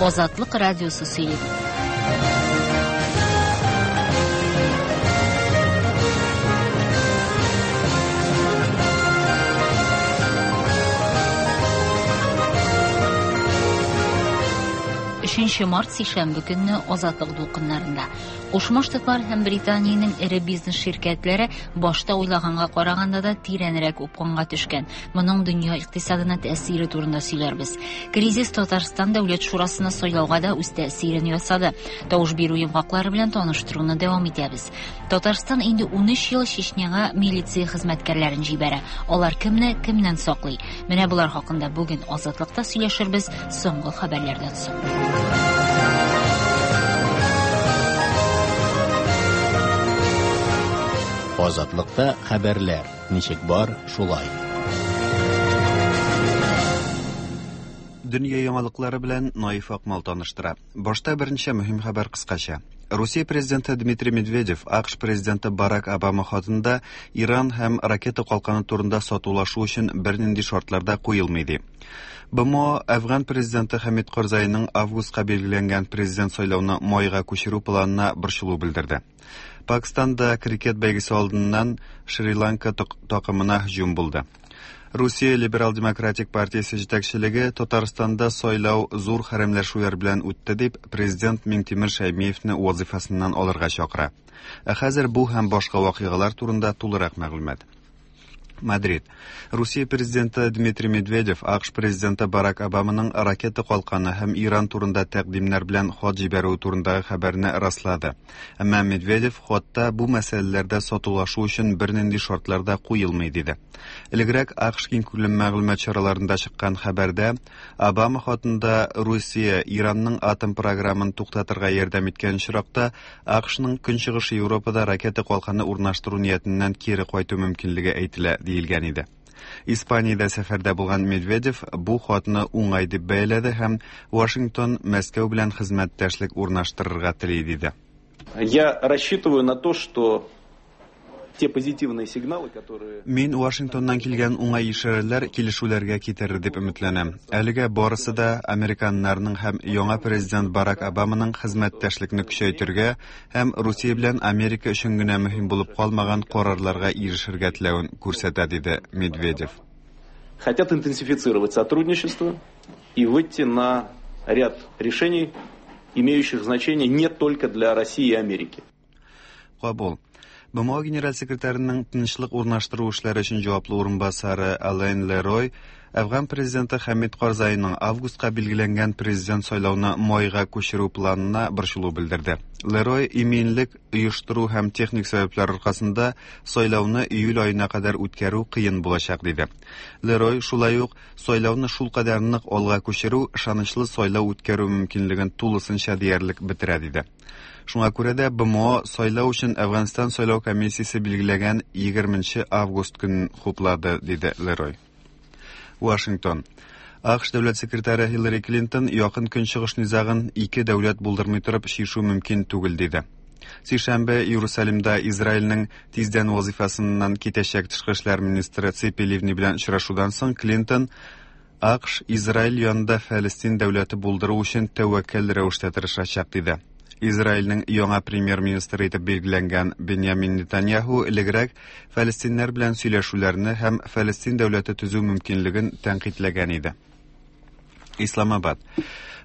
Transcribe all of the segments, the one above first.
Азатлык радиосы сөйли. Өченче март сишәмбе көнне Азатлык дулкыннарында. Кушма Штатлар һәм Британиянең эре бизнес ширкәтләре башта уйлаганга караганда да тирәнрәк упкынга төшкән. Моның дөнья икътисадына тәэсире турында сөйләрбез. Кризис Татарстан Дәүләт Шурасына сайлауга да үз тәэсирен ясады. Тавыш бирү йомгаклары белән таныштыруны дәвам итәбез. Татарстан инде 13 ел Чечняга милиция хезмәткәрләрен җибәрә. Алар кемне кемнән саклый? Менә болар хакында бүген Азатлыкта сөйләшербез соңгы хәбәрләрдән соң. Азатлыкта хәбәрләр ничек бар, шулай. Дөнья яңалыклары белән Наиф Акмал таныштыра. Башта берничә мөһим хәбәр кыскача. Русия президенты Дмитрий Медведев АКШ президенты Барак Обама хатында Иран һәм ракета калканы турында сатулашу өчен бернинди шартлар да куелмый ди. БМО Әфган президенты Хәмид Карзайның августка билгеләнгән президент сайлауны майга күчерү планына борчылу белдерде. Пакистанда крикет бәйгесе алдыннан Шри-Ланка такымына һөҗүм булды. Русия Либерал-демократик партиясе җитәкчелеге Татарстанда сайлау зур хәрәмләшүләр белән үтте дип президент Миңтимер Шәймиевне вазифасыннан алырга чакыра. Ә хәзер бу һәм башка вакыйгалар турында тулырак мәгълүмат. Мадрид. Русия президенты Дмитрий Медведев АКШ президенты Барак Обаманың ракета калканы һәм Иран турында тәкъдимнәр белән хат җибәрүе турындагы хәбәрне раслады. Әмма Медведев хатта бу мәсьәләләрдә сатулашу өчен бернинди шартлар да куелмый диде. Элегрәк АКШ киңкүләм мәгълүмат чараларында чыккан хәбәрдә Обама хатында Русия Иранның атом програмын туктатырга ярдәм иткән очракта АКШның Көнчыгыш Европада ракета калканы урнаштыру ниятеннән кире кайту мөмкинлеге әйтелә, диелгән иде. Испаниядә сәфәрдә булган Медведев бу хатны уңай дип бәяләде һәм Вашингтон Мәскәү белән хезмәттәшлек урнаштырырга тели, диде. Я рассчитываю на то, что те позитивные сигналы, которые... Мин Вашингтоннан килгән уңай ишарәләр килешүләргә китерер дип өметләнәм. Әлегә барысы да американнарның һәм яңа президент Барак Обаманың хезмәттәшлекне көчәйтергә һәм Русия белән Америка өчен генә мөһим булып калмаган карарларга ирешергә теләвен күрсәтә, диде Медведев. Хотят интенсифицировать сотрудничество и выйти на ряд решений, имеющих значение не только для России и Америки. Кабул. БМО генераль секретарының тынычлык урнаштыру эшләре өчен җаваплы урынбасары Ален Лерой Әфган президенты Хәмид Карзайның августка билгеләнгән президент сайлауны майга күчерү планына борчылу белдерде. Лерой иминлек оештыру һәм техник сәбәпләр аркасында сайлауны июль аена кадәр үткәрү кыен булачак диде. Лерой шулай ук сайлауны шулкадәр нык алга күчерү ышанычлы сайлау үткәрү мөмкинлеген тулысынча диярлек бетерә диде. Шуңа күрә дә БМО сайлау өчен Әфганстан сайлау комиссиясе билгеләгән 20 август көнен хуплады, диде Лерой. Вашингтон. АКШ дәүләт секретаре Хиллари Клинтон якын көнчыгыш низагын ике дәүләт булдырмый торып чишү мөмкин түгел диде. Сишәмбе Иерусалимда Израильнең тиздән вазифасыннан китәчәк тышкы эшләр министры Ципи Ливни белән очрашудан соң Клинтон АКШ Израиль янында Фәлестин дәүләте булдыру өчен тәвәккәл рәвештә тырышачак диде. Израильнең яңа премьер-министры итеп билгеләнгән Беньямин Нетаньяху элегрәк фәлестиннәр белән сөйләшүләрне һәм Фәлестин дәүләте төзү мөмкинлеген тәнкыйтьләгән иде. Исламабад.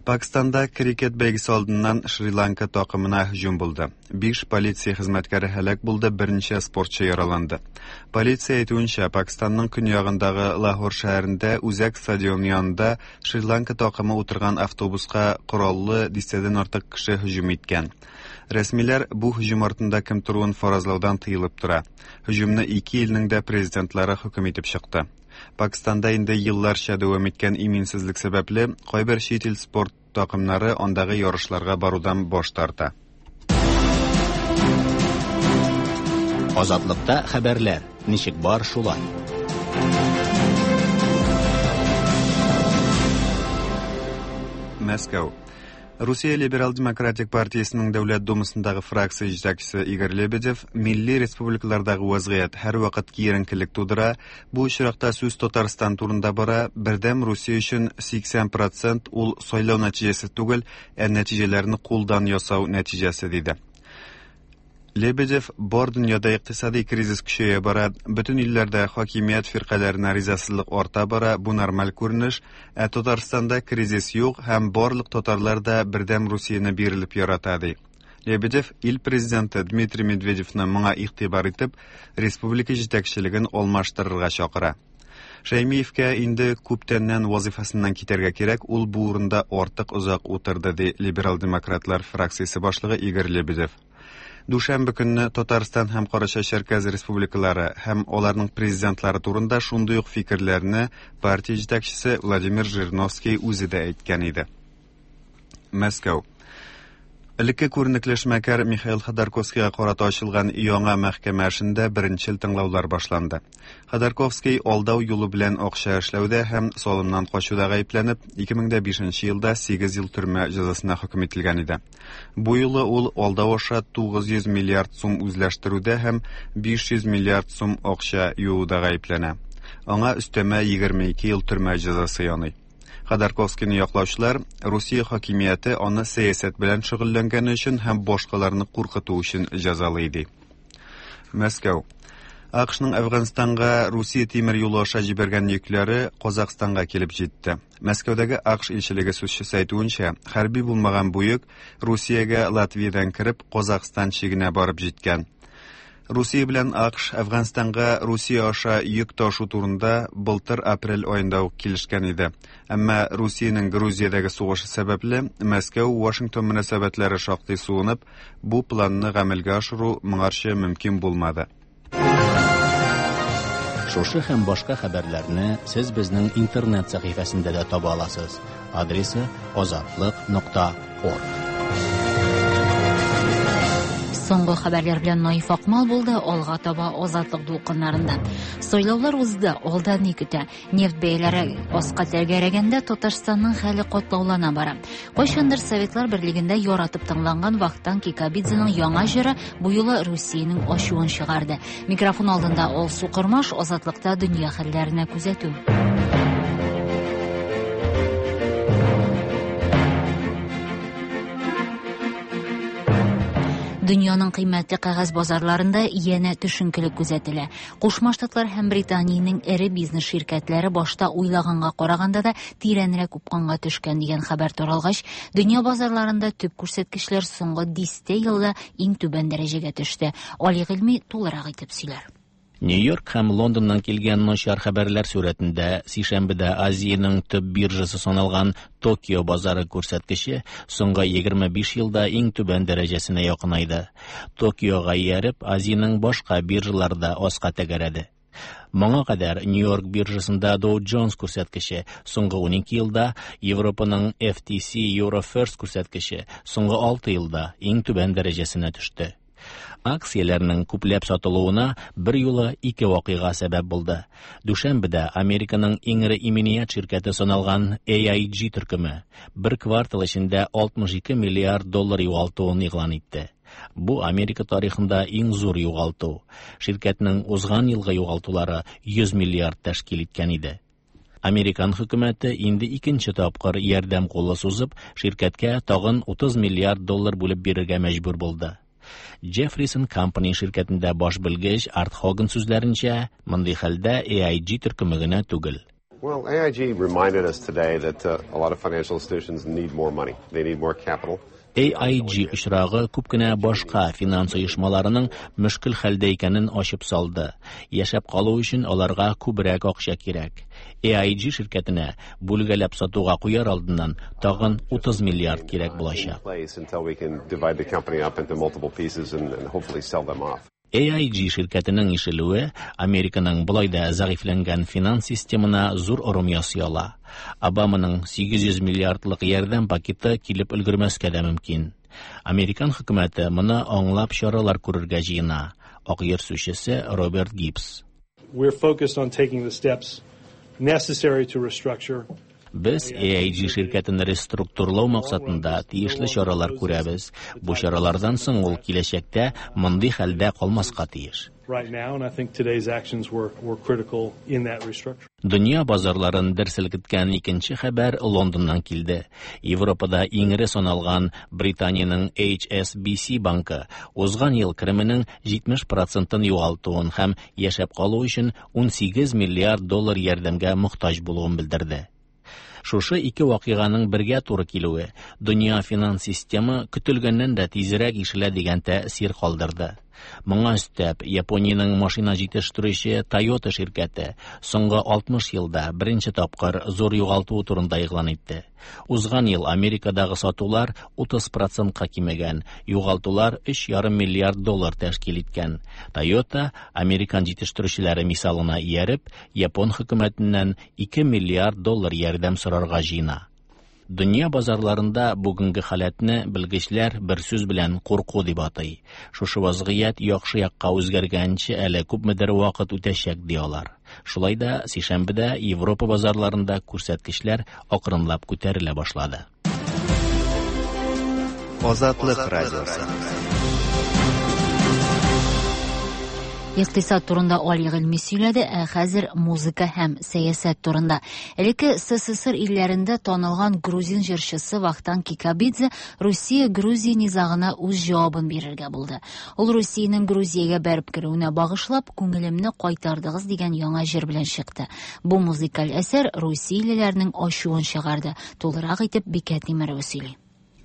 Пакистанда крикет бәйгесе алдыннан Шри-Ланка такымына һөҗүм булды. Биш полиция хезмәткәре һәлак булды, берничә спортчы яраланды. Полиция әйтүенчә, Пакистанның көньягындагы Лахор шәһәрендә үзәк стадион янында Шри-Ланка такымы утырган автобуска кораллы дистәдән артык кеше һөҗүм иткән. Рәсмиләр бу һөҗүм артында кем торуын фаразлаудан тыелып тора. Һөҗүмне ике илнең дә президентлары хөкем итеп чыкты. Пакистанда инде елларча дәвам иткән иминсезлек сәбәпле, кайбер чит ил спорт такымнары андагы ярышларга барудан баш тарта. Азатлыкта хәбәрләр ничек бар, шулай. Мәскәү. Русия Либерал-демократик партиясенең Дәүләт Думасындагы фракция җитәкчесе Игорь Лебедев милли республикалардагы вазгыять һәрвакыт киеренкелек тудыра, бу очракта сүз Татарстан турында бара, Бердәм Русия өчен 80 процент ул сайлау нәтиҗәсе түгел, ә нәтиҗәләрне кулдан ясау нәтиҗәсе, диде. Лебедев бар дөньяда икътисади кризис көчәя бара, бөтен илләрдә хакимият фиркаләренә ризасызлык арта бара, бу нормаль күренеш, ә Татарстанда кризис юк һәм барлык татарлар да Бердәм Русияне бирелеп ярата, ди. Лебедев ил президенты Дмитрий Медведевны моңа игътибар итеп, республика җитәкчелеген алмаштырырга чакыра. Шәймиевкә инде күптәннән вазифасыннан китәргә кирәк, ул бу урында артык озак утырды, ди либерал-демократлар фракциясе башлыгы Игорь Лебедев. Дүшәмбе көнне Татарстан һәм Карачай-Чәркәз республикалары һәм аларның президентлары турында шундый ук фикерләрне партия җитәкчесе Владимир Жириновский үзе дә әйткән иде. Мәскәү. Элекке күренекле эшмәкәр Михаил Ходорковскийга карата ачылган яңа мәхкәмә эшендә беренчел тыңлаулар башланды. Ходорковский алдау юлы белән акча эшләүдә һәм салымнан качуда гаепләнеп, 2005 елда 8 ел төрмә җәзасына хөкем ителгән иде. Бу юлы ул алдау аша 900 миллиард сум үзләштерүдә һәм 500 миллиард сум акча юуда гаепләнә. Аңа өстәмә 22 ел төрмә җәзасы яный. Ходорковскийны яклаучылар Русия хакимияте аны сәясәт белән шөгыльләнгәне өчен һәм башкаларны куркыту өчен җәзалый ди. Мәскәү. АКШның Әфганстанга Русия тимер юлы аша җибәргән йөкләре Казахстанга килеп җитте. Мәскәүдәге АКШ илчелеге сүзчесе әйтүенчә, хәрби булмаган бу йөк Русиягә Латвиядән кереп, Казахстан чигенә барып җиткән. Русия белән АКШ Әфганстанга Русия аша йөк ташу турында былтыр апрель аенда ук килешкән иде. Әмма Русиянең Грузиядәге сугышы сәбәпле, Мәскәү-Вашингтон мөнәсәбәтләре шактый суынып, бу планны гамәлгә ашыру моңарчы мөмкин булмады. Шушы һәм башка хәбәрләрне сез безнең интернет сәхифәсендә дә таба аласыз. Адресы азатлык.орг. Соңгы хәбәрләр белән Наиф Акмал булды, алга таба Азатлык дулкыннарында. Сайлаулар узды, алда ни көтә? Нефть бәяләре аска тәгәрәгәндә Татарстанның хәле катлаулана бара. Кайчандыр Советлар Берлегендә яратып тыңланган Вахтанг Кикабидзеның яңа җыры бу юлы Русиянең ачуын чыгарды. Микрофон алдында Алсу Кормаш, Азатлыкта дөнья хәлләренә күзәтү. Дөньяның кыйммәтле кәгазь базарларында янә төшенкелек күзәтелә. Кушма Штатлар һәм Британиянең эре бизнес ширкәтләре башта уйлаганга караганда да тирәнрәк упкынга төшкән дигән хәбәр таралгач, дөнья базарларында төп күрсәткечләр соңгы дистә елда иң түбән дәрәҗәгә төште. Али Гыйльми тулырак итеп сөйләр. Нью-Йорк һәм Лондоннан килгән начар хәбәрләр сурәтендә сишәмбедә Азиянең төп биржасы саналган Токио базары күрсәткече соңгы 25 елда иң түбән дәрәҗәсенә якынайды. Токиога ияреп, Азиянең башка биржалары да аска тәгәрәде. Моңа кадәр Нью-Йорк биржасында Dow Jones күрсәткече соңгы 12 елда, Европаның FTSE Eurofirst күрсәткече соңгы 6 елда иң түбән дәрәҗәсенә төште. Акцияләрнең күпләп сатылуына бер юлы ике вакыйга сәбәп булды. Дүшәмбедә Американың иң эре иминият ширкәте саналган AIG төркеме бер квартал эчендә 62 миллиард доллар югалтуын игълан итте. Бу Америка тарихында иң зур югалту. Ширкәтнең узган елгы югалтулары 100 миллиард тәшкил иткән иде. Американ хөкүмәте инде икенче тапкыр ярдәм кулы сузып, ширкәткә тагын 30 миллиард доллар бүлеп бирергә мәҗбүр булды. Jefferies Company ширкәтендә баш белгеч Арт Хоган сүзләренчә, мондый хәлдә AIG төркеме генә түгел. Well, AIG reminded us today that a lot of financial institutions need more money. They need more capital. AIG очрагы күп кенә башка финанс оешмаларының мөшкел хәлдә икәнен ачып салды. Яшәп калу өчен аларга күбрәк акча кирәк. AIG ширкәтенә бүлгәләп сатуга куяр алдыннан тагын 30 миллиард кирәк булачак. AIG ширкәтенең ишелүе Американың болай да зәгыйфьләнгән финанс системына зур орым ясый ала. Обаманың 800 миллиардлык ярдәм пакеты килеп өлгермәскә дә мөмкин. Американ хөкүмәте моны аңлап чаралар күрергә җыена. Ак йорт сүзчесе Роберт Гибс. We're focused on taking the steps necessary to restructure. Без AIG ширкәтен реструктурлау максатында тиешле чаралар күрәбез. Бу чаралардан соң ул киләчәктә мондый хәлдә калмаска тиеш. Right now, and I think today's actions were critical in that restructuring. Дөнья базарларын дер селкеткән икенче хәбәр Лондоннан килде. Европада иң эре саналган Британиянең HSBC банкы узган ел кеременең 70 процентын югалтуын һәм яшәп калу өчен 18 миллиард доллар ярдәмгә мохтаҗ булуын белдерде. Шушы ике вакыйганың бергә туры килүе дөнья финанс системы көтелгәннән дә тизрәк ишелә дигән тәэсир калдырды. Моңа өстәп, Япониянең машина җитештерүче Toyota ширкәте соңгы 60 елда беренче тапкыр зур югалтуы турында игълан итте. Узган ел Америкадагы сатулар 30 процентка кимегән, югалтулар 3,5 миллиард доллар тәшкил иткән. Toyota американ җитештерүчеләре мисалына ияреп, Япон хөкүмәтеннән 2 миллиард доллар ярдәм сорарга җыена. Дөнья базарларында бүгенге халәтне белгечләр бер сүз белән курку дип атый. Шушы вазгыять яхшы якка үзгәргәнче әле күпмедер вакыт үтәчәк ди алар. Шулай да сишәмбедә Европа базарларында күрсәткечләр акрынлап күтәрелә башлады. Азатлык радиосы. Икътисад турында Али Гыйльми сөйләде, ә хәзер музыка һәм сәясәт турында. Элекке СССР илләрендә танылган грузин җырчысы Вахтанг Кикабидзе Русия-Грузия низагына үз җавабын бирергә булды. Ул Русиянең Грузиягә бәреп керүенә багышлап, "Күңелемне кайтардыгыз" дигән яңа җыр белән чыкты. Бу музыкаль әсәр русиялеләрнең ачуын чыгарды. Тулырак итеп Бикә Тимерова сөйли.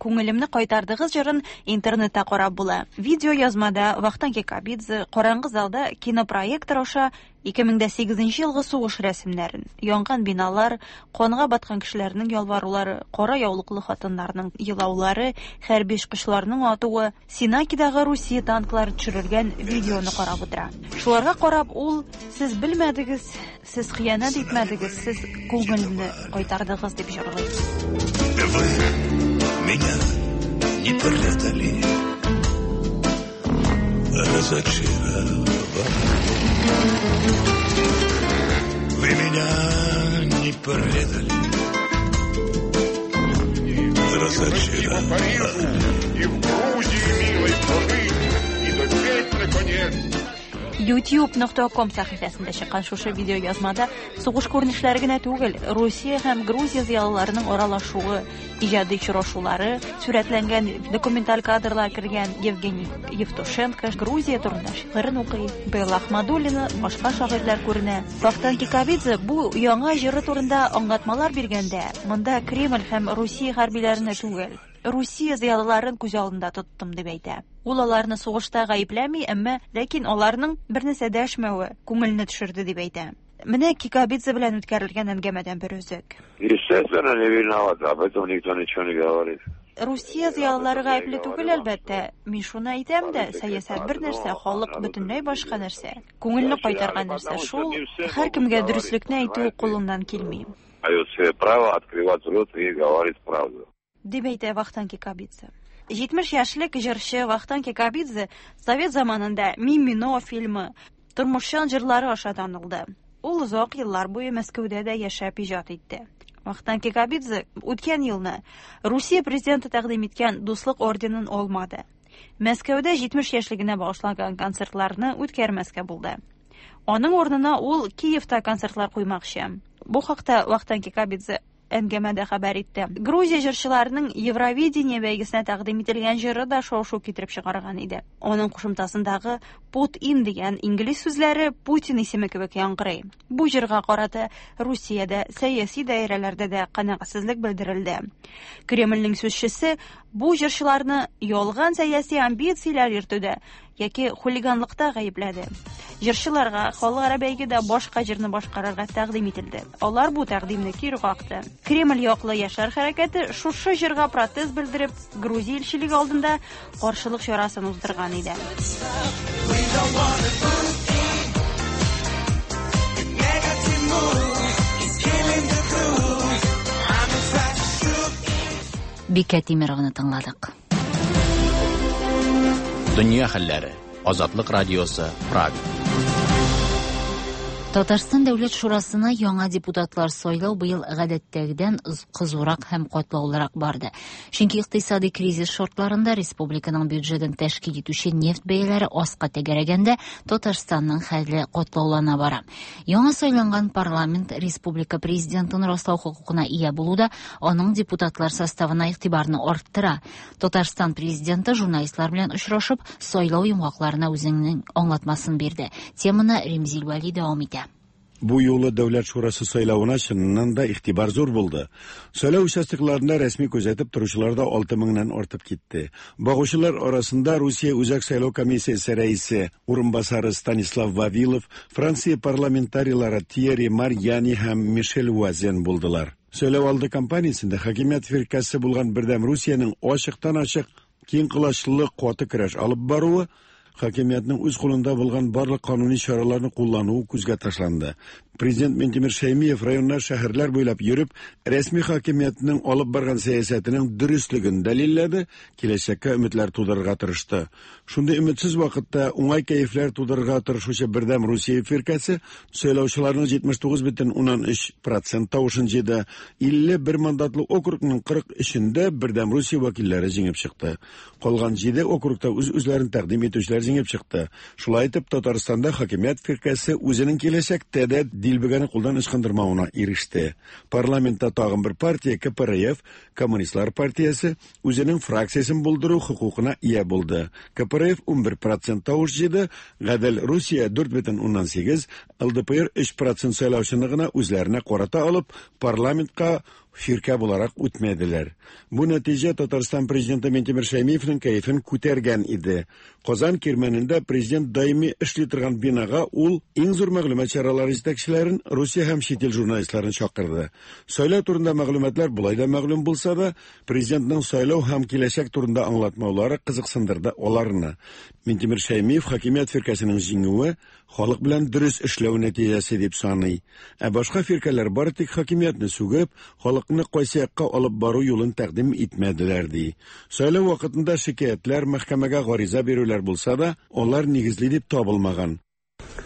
"Күңелемне кайтардыгыз" җырын интернетта карап була. Видео язмада Вахтанг Кикабидзе караңгы залда кинопроектор аша 2008 елгы сугыш рәсемнәрен, янган биналар, канга баткан кешеләрнең ялварулары, кара яулыклы хатыннарның елаулары, хәрби очкычларның атуы, Синакидагы Русия танклары төшерелгән видеоны карап утыра. Шуларга карап ул: "Сез белмәдегез, сез хыянәт итмәдегез, сез күңелемне кайтардыгыз" дип җырлый. Вы меня не предали, разочаровали. Вы меня не предали, разочаровали. Парижу и в Грузии милой пожить и допеть наконец. youtube.com сәхифәсендә чыккан шушы видео язмада сугыш күренешләре генә түгел, Русия һәм Грузия зыялыларының аралашуы, иҗади очрашулары сурәтләнгән документаль кадрлар кергән. Евгений Евтушенко Грузия турында шигырен укый, Белла Ахмадуллина, башка шагыйрьләр күренә. Вахтанг Кикабидзе бу яңа җыры турында аңлатмалар биргәндә, монда Кремль һәм Русия хәрбиләренә түгел, Русия зыялыларын күз алдында тоттым дип әйтә. Ул аларны сугышта гаепләми, әмма ләкин аларның бер нәрсә дәшмәве күңелне төшерде дип әйтә. Менә Кикабидзе белән үткәрелгән әңгәмәдән бер өзек. Естественно, не виноват, об этом никто ничего не говорит. Русия зыялылары гаепле түгел, әлбәттә. Мин шуны әйтәм дә, сәясәт бер нәрсә, халык бөтенләй башка нәрсә. Күңелне кайтарган нәрсә шул, һәркемгә дөреслекне әйтү кулыннан килми. Дают себе право открывать рот и говорить правду. Дип әйтә Вахтанг Кикабидзе. 70 яшьлек җырчы Вахтанг Кикабидзе совет заманында "Мимино" фильмы, тормышчан җырлары аша танылды. Ул озак еллар буе Мәскәүдә дә яшәп иҗат итте. Вахтанг Кикабидзе үткән елны Русия президенты тәкъдим иткән Дуслык орденын алмады. Мәскәүдә 70 яшьлегенә багышланган концертларны үткәрмәскә булды. Аның урынына ул Киевта концертлар куймакчы. Бу хакта Вахтанг Кикабидзе әңгәмәдә хәбәр итте. Грузия җырчыларының Евровидение бәйгесенә тәкъдим ителгән җыры да шау-шу китереп чыгарган иде. Аның кушымтасындагы "put in" дигән инглиз сүзләре Путин исеме кебек яңгырый. Бу җырга карата Русиядә сәяси даирәләрдә дә канәгатьсезлек белдерелде. Кремльнең сүзчесе бу җырчыларны ялган сәяси амбицияләр йөртүдә яки хулиганлыкта гаепләде. Җырчыларга халыкара бәйгедә башка җырны башкарырга тәкъдим ителде. Алар бу тәкъдимне кире какты. Кремль яклы яшьләр хәрәкәте шушы җырга протест белдереп, Грузия илчелеге алдында каршылык чарасын уздырган иде. Бикә Тимерованы тыңладык. Дөнья хәлләре. Азатлык радиосы, Прага. Татарстан Дәүләт Шурасына яңа депутатлар сайлау быел гадәттәгедән кызурак һәм катлаулырак барды. Чөнки икътисади кризис шартларында республиканың бюджетын тәшкил итүче нефть бәяләре аска тәгәрәгәндә Татарстанның хәле катлаулана бара. Яңа сайланган парламент республика президентын раслау хокукына ия булу да аның депутатлар составына игътибарны арттыра. Татарстан президенты журналистлар белән очрашып, сайлау йомгакларына үзенең аңлатмасын бирде. Теманы Римзил Вәли дәвам итә. Бу юлы Дәүләт шурасы сайлавына чыннан да игътибар зур булды. Сайлау участокларында рәсми күзәтеп торучылар да 6 меңнән артып китте. Багучылар арасында Русия Үзәк сайлау комиссиясе рәисе урынбасары Станислав Вавилов, Франция парламентарийлары Тьерри Марьяни һәм Мишель Вуазен булдылар. Сайлау алды кампаниясендә хакимият фиркәсе булган Бердәм Русиянең ачыктан-ачык киң колачлы каты көрәш алып баруы хакимиятнең үз кулында булган барлык кануни чараларны куллануы күзгә ташланды. Президент Минтимер Шәймиев районнар, шәһәрләр буйлап йөреп, рәсми хакимиятнең алып барган сәясәтенең дөреслеген дәлилләде, киләчәккә өметләр тудырырга тырышты. Шундый өметсез вакытта уңай кәефләр тудырырга тырышучы Бердәм Русия фиркәсе сайлаучыларның 79,3% тавышын җыйды. 51 мандатлы округның 43-ендә Бердәм Русия вәкилләре җиңеп чыкты. Калган 7 округта үз-үзләрен тәкъдим итүчеләр җиңеп чыкты. Шулай итеп, Татарстанда хакимият фиркәсе үзенең киләчәктә дә дилбегәне кулдан ычкындырмавына иреште. Парламентта тагын бер партия КПРФ, Коммунистлар партиясе, үзенең фракциясен булдыру хокукына ия булды. КПРФ 11% тавыш җыйды, Гадел Русия 4,8, ЛДПР 3% сайлаучыны гына үзләренә карата алып, парламентка фиркә буларак үтмәделәр. Бу нәтиҗә Татарстан президенты Минтимер Шәймиевның кәефен күтәргән иде. Казан кирмәнендә президент даими эшли торган бинага ул иң зур мәгълүмат чаралары җитәкчеләрен, Русия һәм чит ил журналистларын чакырды. Сайлау турында мәгълүматлар болай да мәгълүм булса да, президентның сайлау һәм киләчәк турында аңлатмаулары кызыксындырды аларны. Минтимер Шәймиев хакимият фиркәсенең җиңүе халык белән дөрес эшләү нәтиҗәсе дип саный. Ә башка фиркәләр бары тик хакимиятне сүгеп, халыкны кайсы якка алып бару юлын тәкъдим итмәделәр ди. Сайлау вакытында шикаятьләр, мәхкәмәгә гариза бирүләр булса да, алар нигезле дип табылмаган.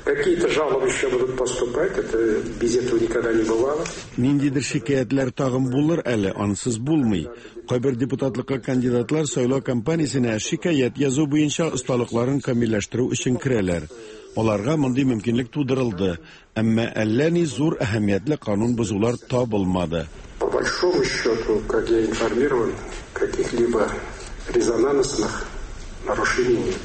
Какие-то жалобы еще будут поступать, это без этого никогда не бывало. Ниндидер шикаятьләр тагын булыр әле, ансыз булмый. Кайбер депутатлыкка кандидатлар сайлау кампаниясенә шикаять язу буенча осталыкларын камилләштерү өчен керәләр. Аларга мондый мөмкинлек тудырылды, әмма әллә ни зур әһәмиятле канун бозулар табылмады. По большому счету, как я информирован, каких-либо резонансных нарушений нет.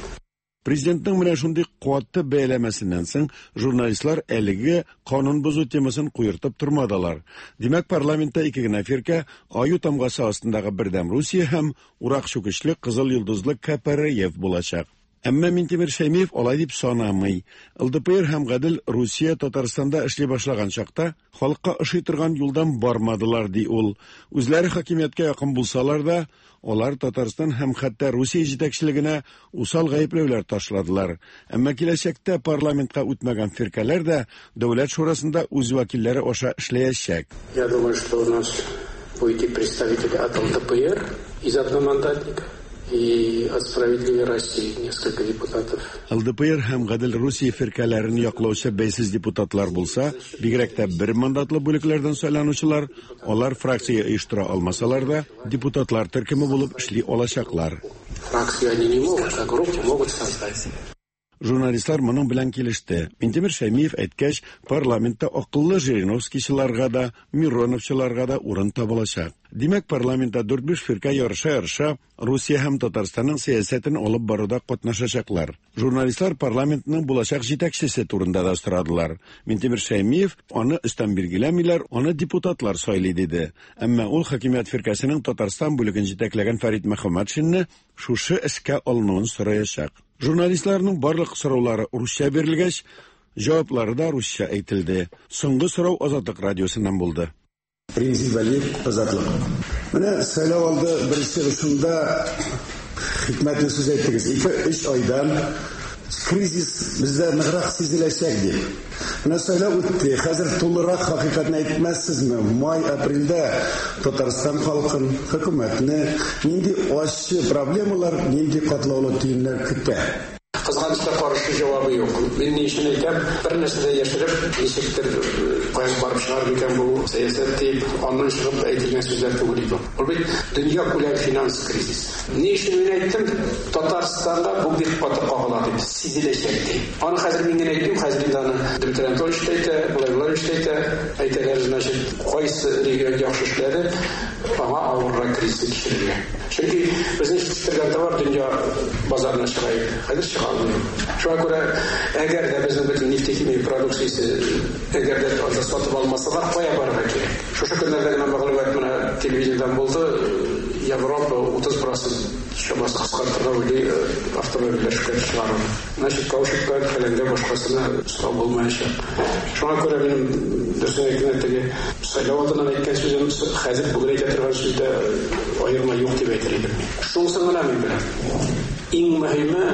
Президентның менә шундый каты бәяләмәсеннән соң журналистлар әлеге канун бозу темасын куертып тормадылар. Димәк, парламентта ике генә фиркә Аю тамгасы астындагы Бердәм Русия һәм Урак чүкечле Кызыл йолдызлы КПРФ булачак. Әмма Минтимер Шәймиев алай дип санамый. ЛДПР һәм Гадел Русия Татарстанда эшли башлаган чакта халыкка ошый торган юлдан бармадылар, ди ул. Үзләре хакимияткә якын булсалар да, алар Татарстан һәм хәтта Русия җитәкчелегенә усал гаепләүләр ташладылар. Әмма киләчәктә парламентка үтмәгән фиркәләр дә Дәүләт шурасында үз вәкилләре аша эшләячәк. Я думаю, что у нас будет и представители от ЛДПР из одномандатника, и от «Справедливой России» несколько депутатов. ЛДПР һәм Гадел Русия фиркәләрен яклаучы бәйсез депутатлар булса, бигрәк тә бер мандатлы бүлекләрдән сайланучылар, алар фракция оештыра алмасалар да, депутатлар төркеме булып эшли алачаклар. Фракцию они не могут, а группу могут создать. Журналистлар моның белән килеште. Минтимер Шәймиев әйткәч, парламентта акыллы Жириновскийчыларга да, Мироновчыларга да урын табылачак. Димәк, парламентта 4-5 фиркә ярыша-ярыша Русия һәм Татарстанның сәясәтен алып баруда катнашачаклар. Журналистлар парламентның булачак җитәкчесе турында да сорадылар. Минтимер Шәймиев аны өстән билгеләмиләр, аны депутатлар сайлый диде. Әмма ул хакимият фиркәсенең Татарстан бүлеген җитәкләгән Фәрит Мөхәммәтшинны шушы эшкә алынуын сораячак. Журналистларның барлык сораулары русча бирелгәч, җаваплары да русча әйтелде. Соңгы сорау Азатлык радиосыннан булды. Римзил Вәлиев, Азатлык. Менә сайлау алды беренче чыгышында хикмәтле сүз әйттегез. 2-3 айдан кризис бездә ныграк сизеләчәк дип. Менә сайлау үтте. Хәзер тулырак хакыйкатьне әйтмәссезме? Май, апрельдә Татарстан халкын, хөкүмәтне нинди ачы проблемалар, нинди катлаулы төеннәр көтә? Кызганыч Кызганычка каршы җавабы юк. Мин ни өчен әйтәм, бер нәрсә дә яшереп, ничектер каян барып чыгар микән бу сәясәт дип, аннан чыгып әйтелгән сүзләр түгел иде. Ул бит дөньякүләм финанс кризис. Ни өчен мин әйттем, Татарстанда бу бик каты кагыла дип, сизеләчәк дип. Аны хәзер мин генә әйтмим, хәзер инде аны Дмитрий Анатольевич та әйтә, Владимир Владимирович та әйтә. Әйтәләр, значит, кайсы регион яхшы эшләде, аңа авыррак кризисны кичерергә. Чөнки безнең җитештергән товар дөнья базарына чыга иде. Хәзер чыга алмый. Шуңа күрә, әгәр дә безнең бөтен нефтехимия продукциясе әгәр дә анда сатып алмасалар, кая барырга кирәк? Шушы көннәрдә генә мәгълүмат менә телевидениедән булды, Европа 30% чамасы кыскартырга уйлый автомобильләр эшкә чыгаруны. Значит, каучукка, фәләнгә башкасына сорау булмаячак. Шуңа күрә минем дөресен әйткәндә теге сайлау алдыннан әйткән сүзем хәзер бүген әйтә торган сүздә аерма юк дип әйтер идем. Шунысын гына мин беләм. Иң мөһиме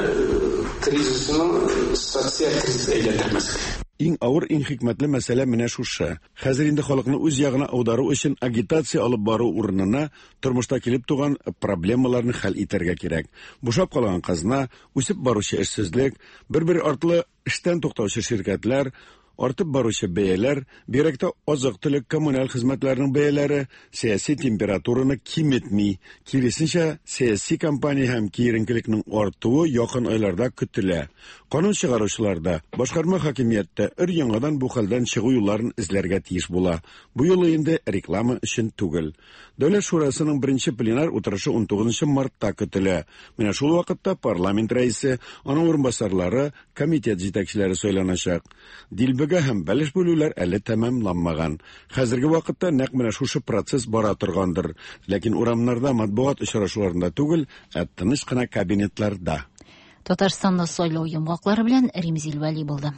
кризисның социаль кризис әйләндермәскә. Иң авыр, иң хикмәтле мәсьәлә менә шушы. Хәзер инде халыкны үз ягына аудару өчен агитация алып бару урынына тормышта килеп туган проблемаларны хәл итәргә кирәк. Бушап калган казна, үсеп баручы эшсезлек, бер-бер артлы эштән туктаучы ширкәтләр, артып баручы бәяләр, бигрәк тә азык-төлек, коммуналь хезмәтләрнең бәяләре сәяси температураны киметми. Киресенчә, сәяси кампания һәм киеренкелекнең артуы якын айларда көтелә. Канун чыгаручылар да, башкарма хакимият тә өр-яңадан бу хәлдән чыгу юлларын эзләргә тиеш була. Бу юлы инде реклама өчен түгел. Дәүләт шурасының беренче пленар утырышы 19 мартта көтелә. Менә шул вакытта парламент рәисе, аның урынбасарлары, комитет җитәкчеләре сайланачак. Дилбегә һәм бәлеш бүлүләр әле тәмамланмаган. Хәзерге вакытта нәкъ менә шушы процесс бара торгандыр. Ләкин урамнарда, матбугат очрашуларында түгел, ә тыныч кына кабинетларда. Татарстанда сайлау йомгаклары белән Римзил Вәли булды.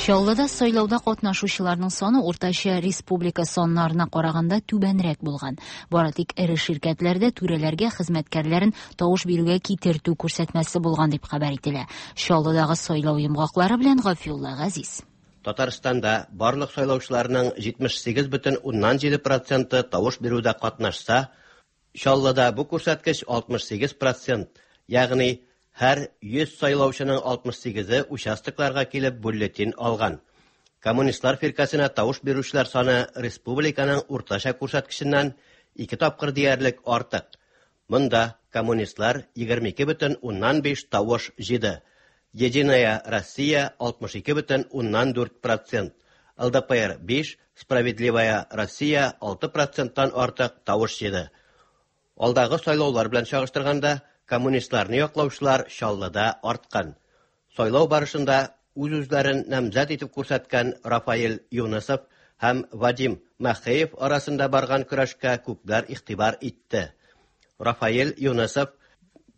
Чаллыда сайлауда катнашучыларның саны уртача республика саннарына караганда түбәнрәк булган. Бары тик эре ширкәтләрдә түрәләргә хезмәткәрләрен тавыш бирүгә китертү күрсәтмәсе булган дип хәбәр ителә. Чаллыдагы сайлау йомгаклары белән Гафиулла Газиз. Татарстанда барлык сайлаучыларның 78,7 проценты тавыш бирүдә катнашса, Чаллыда бу күрсәткеч 68 процент, ягъни һәр 100 сайлаучының 68-е участокларга килеп бюллетень алган. Коммунистлар фиркәсенә тавыш бирүчеләр саны республиканың уртача күрсәткеченнән ике тапкыр диярлек артык. Монда коммунистлар 22,5 тавыш җыйды. Единая Россия 62,4 процент, ЛДПР 5, Справедливая Россия 6 проценттан артык тавыш җыйды. Алдагы сайлаулар белән чагыштырганда, коммунистларны яклаучылар Чаллыда арткан. Сайлау барышында үз-үзләрен намзәт итеп күрсәткән Рафаэль Юнысов һәм Вадим Махеев арасында барган көрәшкә күпләр игътибар итте. Рафаэль Юнысов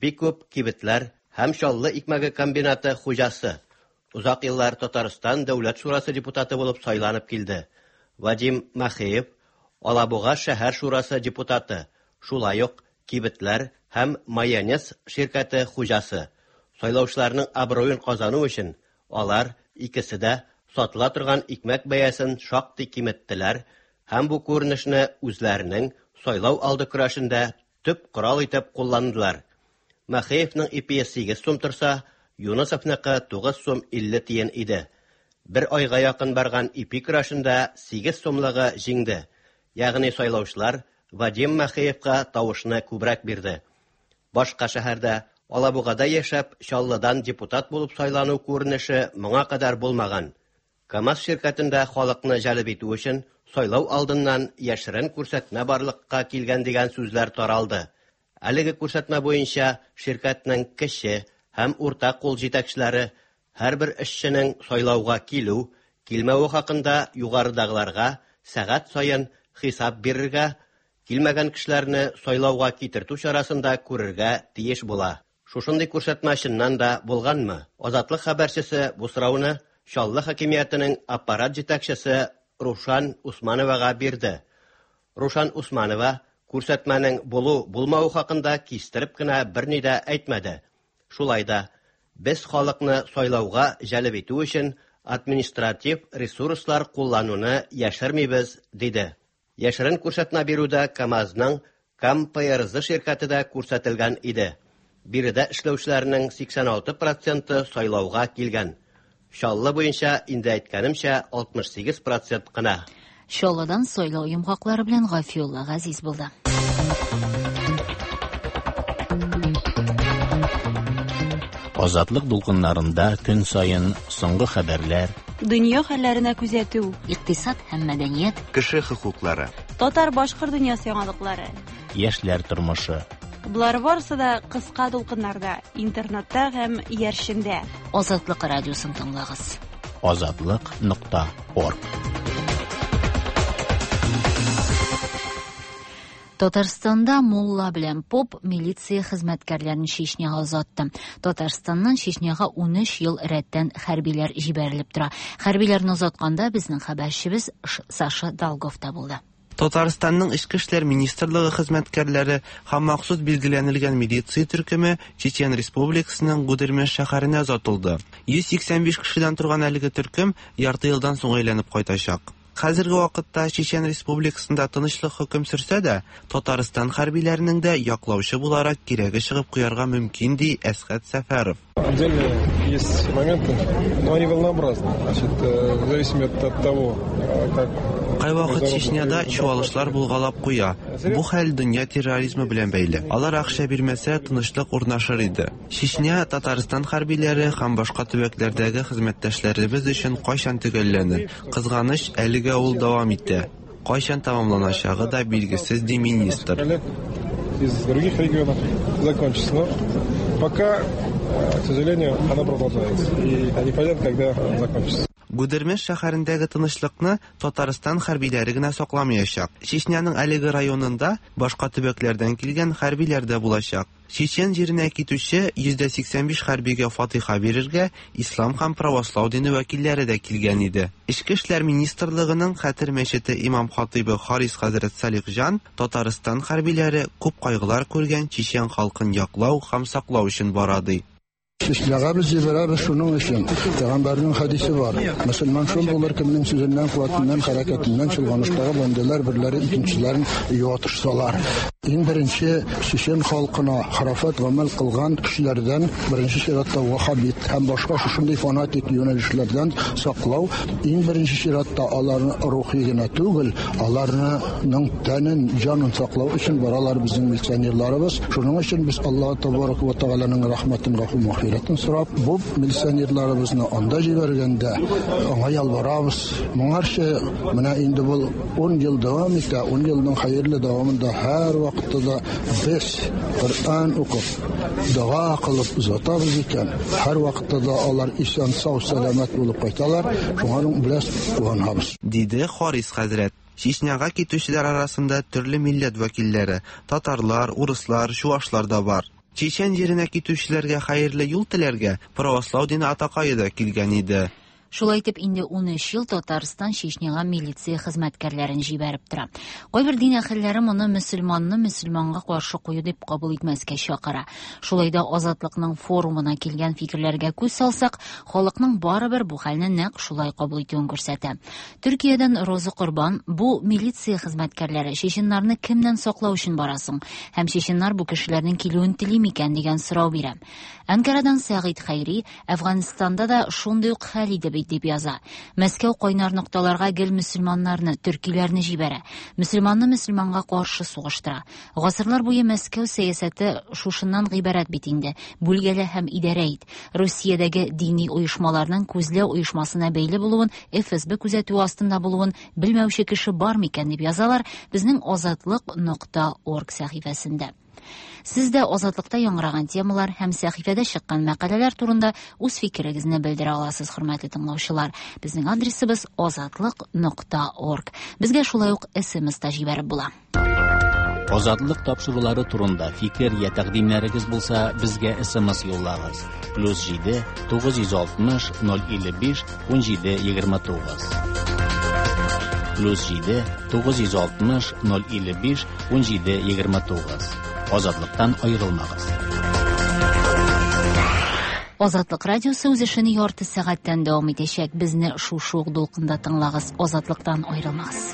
бик күп кибетләр һәм Чаллы икмәге комбинаты хуҗасы. Озак еллар Татарстан Дәүләт шурасы депутаты булып сайланып килде. Вадим Махеев Алабуга шәһәр шурасы депутаты, шулай ук кибетләр һәм майонез ширкәте хуҗасы. Сайлаучыларның абруен казану өчен алар икесе дә сатыла торган икмәк бәясен шактый киметтеләр һәм бу күренешне үзләренең сайлау алды көрәшендә төп корал итеп кулландылар. Махеевның ипие 8 сум торса, Юнысовныкы 9 сум 50 тиен иде. Бер айга якын барган ипи көрәшендә 8 сумлыгы җиңде. Ягъни сайлаучылар Вадим Махеевка тавышны күбрәк бирде. Башка шәһәрдә Алабугада яшәп, Чаллыдан депутат булып сайлану күренеше моңа кадәр булмаган. КАМАЗ ширкәтендә халыкны җәлеп итү өчен сайлау алдыннан яшерен күрсәтмә барлыкка килгән дигән сүзләр таралды. Әлеге күрсәтмә буенча ширкәтнең кече һәм урта кул җитәкчеләре һәрбер эшченең сайлауга килү, килмәве хакында югарыдагыларга сәгать саен хисап бирергә, килмәгән кешеләрне сайлауга китертү чарасын да күрергә тиеш була. Шушындый күрсәтмә чыннан да булганмы? Азатлык хәбәрчесе бу сорауны Чаллы хакимиятенең аппарат җитәкчесе Рушан Усмановага бирде. Рушан Усманова күрсәтмәнең булу-булмавы хакында кистереп кенә берни дә әйтмәде. Шулай да без халыкны сайлауга җәлеп итү өчен административ ресурслар куллануны яшермибез, диде. Яшерен күрсәтмә бирүдә КАМАЗның КАМ ПРЗ ширкәте дә күрсәтелгән иде. Биредә эшләүчеләрнең 86 проценты сайлауга килгән. Чаллы буенча, инде әйткәнемчә, 68 процент кына. Чаллыдан сайлау йомгаклары белән Гафиулла Газиз булды. Азатлык дулкыннарында көн саен соңгы хәбәрләр, Дөнья хәлләренә күзәтү, икътисад һәм мәдәният, кеше хокуклары, татар-башкорт дөньясы яңалыклары, яшьләр тормышы. Болар барысы да кыска дулкыннарда, интернетта һәм иярчендә. Азатлык радиосын тыңлагыз. Азатлык.орг. Татарстанда мулла белән поп милиция хезмәткәрләрен Чечняга озатты. Татарстаннан Чечняга 13 ел рәттән хәрбиләр җибәрелеп тора. Хәрбиләрне озатканда безнең хәбәрчебез Саша Долгов та булды. Татарстанның Эчке эшләр министрлыгы хезмәткәрләре һәм махсус билгеләнелгән милиция төркеме Чечен Республикасының Гудермес шәһәренә озатылды. 185 кешедән торган әлеге төркем ярты елдан соң әйләнеп кайтачак. Хәзерге вакытта Чечен Республикасында тынычлык хөкем сөрсә дә, Татарстан хәрбиләренең дә яклаучы буларак кирәге чыгып куярга мөмкин, ди Әсхәт Сәфәров. Отдельные есть моменты, но они волнообразны. Значит, в зависимости от того, как Кайвакыт Чечняда чуалышлар булгалап куя. Бу хәл дөнья терроризмы белән бәйле. Алар акча бирмәсә, тынычлык урнашыр иде. Чечня, Татарстан хәрбиләре һәм башка төбәкләрдәге хезмәттәшләребез өчен кайчан төгәлләнер? Кызганыч, әлегә ул дәвам итә. Кайчан тәмамланачагы да билгесез, ди министр. Из других регионов закончится. Но пока, к сожалению, она продолжается. И непонятно, когда закончится. Гудермес шәһәрендәге тынычлыкны Татарстан хәрбиләре генә сакламаячак. Чечняның әлеге районында башка төбәкләрдән килгән хәрбиләр дә булачак. Чечен җиренә китүче 85 хәрбигә фатиха бирергә ислам һәм правослау дине вәкилләре дә килгән иде. Эчке эшләр министрлыгының Хәтер мәчете имам хатыйбы Харис хәзрәт Салихҗан Татарстан хәрбиләре күп кайгылар күргән чечен халкын яклау һәм саклау өчен бара ди. Чечняга без җибәрәбез шуның өчен. Пәйгамбәрнең хәдисе бар. Мөселман шул булыр, кемнең сүзеннән, куәтеннән, хәрәкәтеннән чолганыштагы бәндәләр берләре икенчеләрен юатышсалар. Иң беренче чечен халкына храфат гамәл кылган кешеләрдән, беренче чиратта ваххабит һәм башка шушындый фанатик юнәлешләрдән саклау, иң беренче чиратта аларны рухи генә түгел, аларның тәнен, җанын саклау өчен баралар безнең милиционерларыбыз. Шуның өчен без Аллаһ табарак ва тәгаләнең рәхмәтен, гафу мағфирәтен сорап, бу милиционерларыбызны анда җибәргәндә аңа ялварабыз. Моңарчы менә инде бу 10 ел дәвам итә, 10 елның хәерле дәвамында һәр вакытта да без Коръән укып, дога кылып озатабыз икән, һәр вакытта да алар исән, сау, сәламәт булып кайталар. Шуңа белән куанабыз. Диде Харис хәзрәт. Чечняга китүчеләр арасында төрле милләт вәкилләре, татарлар, урыслар, чуашлар да бар. Чечен җиренә китүчеләргә хәерле юл теләргә правослау дине атакае да килгән иде. Шулай итеп, инде 13 ел Татарстан Чечняга милиция хезмәткәрләрен җибәреп тора. Кайбер дин әһелләре моны мөселманны мөселманга каршы кую дип кабул итмәскә чакыра. Шулай да Азатлыкның форумына килгән фикерләргә күз салсак, халыкның барыбер бу хәлне нәкъ шулай кабул итүен күрсәтә. Төркиядән Роза Корбан бу милиция хезмәткәрләре чеченнарны кемнән саклау өчен барасың һәм чеченнар бу кешеләрнең килүен тели микән дигән сорау бирә. Анкарадан Сәгыйть Хәйри Әфганстанда да шундый ук хәл иде бит дип яза. Мәскәү кайнар нокталарга гел мөселманнарны, төркиләрне җибәрә. Мөселманны мөселманга каршы сугыштыра. Гасырлар буе Мәскәү сәясәте шушыннан гыйбарәт бит инде. Бүлгәлә һәм идарә ит. Русиядәге дини оешмаларның күзләү оешмасына бәйле булуын, ФСБ күзәтүе астында булуын белмәүче кеше бар микән дип язалар безнең азатлык.орг сәхифәсендә. Сез дә Азатлыкта яңгыраган темалар һәм сәхифәдә чыккан мәкаләләр турында үз фикерегезне белдерә аласыз, хөрмәтле тыңлаучылар. Безнең адресыбыз азатлык.орг. Безгә шулай ук СМС та җибәреп була. Азатлык тапшырулары турында фикер я тәкъдимнәрегез булса, безгә СМС юллагыз. +7 960 055 17 29. +7 960 055 17 29. Азатлыктан аерылмагыз. Азатлык радиосы үз эшен ярты сәгатьтән дәвам итәчәк. Безне шушы ук дулкында тыңлагыз. Азатлыктан аерылмагыз.